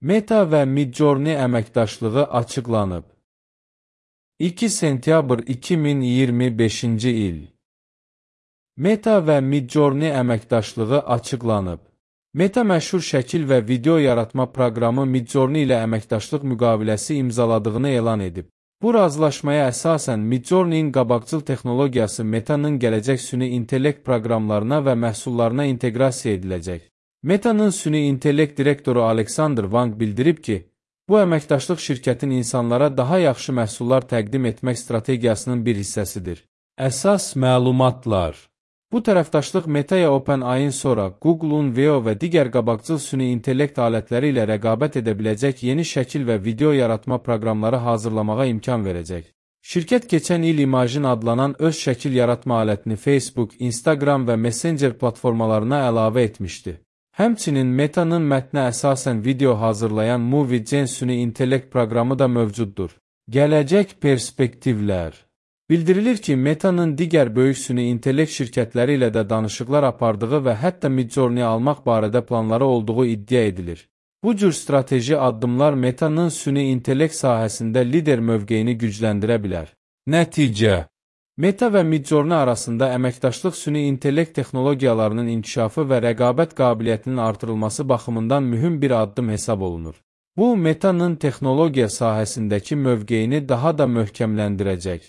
Meta və Midjourney əməkdaşlığı açıqlanıb. 2 sentyabr 2025-ci il. Meta və Midjourney əməkdaşlığı açıqlanıb. Meta məşhur şəkil və video yaratma proqramı Midjourney ilə əməkdaşlıq müqaviləsi imzaladığını elan edib. Bu razılaşmaya əsasən Midjourney'in qabaqcıl texnologiyası Meta'nın gələcək süni intellekt proqramlarına və məhsullarına inteqrasiya ediləcək. Meta'nın süni intellekt direktoru Alexander Wang bildirib ki, bu əməkdaşlıq şirkətin insanlara daha yaxşı məhsullar təqdim etmək strategiyasının bir hissəsidir. Əsas məlumatlar. Bu tərəfdaşlıq Meta'ya OpenAI-in sonra Google'un Veo və digər qabaqcıl süni intellekt alətləri ilə rəqabət edə biləcək yeni şəkil və video yaratma proqramları hazırlamağa imkan verəcək. Şirkət keçən il Imagine adlanan öz şəkil yaratma alətini Facebook, Instagram və Messenger platformalarına əlavə etmişdi. Həmçinin Meta'nın mətnə əsasən video hazırlayan MovieGen süni intellekt proqramı da mövcuddur. Gələcək perspektivlər. Bildirilir ki, Meta'nın digər böyük süni intellekt şirkətləri ilə də danışıqlar apardığı və hətta Midjourney almaq barədə planları olduğu iddia edilir. Bu cür strateji addımlar Meta'nın süni intellekt sahəsində lider mövqeyini gücləndirə bilər. Nəticə. Meta və Midjourney arasında əməkdaşlıq süni intellekt texnologiyalarının inkişafı və rəqabət qabiliyyətinin artırılması baxımından mühüm bir addım hesab olunur. Bu, Meta'nın texnologiya sahəsindəki mövqeyini daha da möhkəmləndirəcək.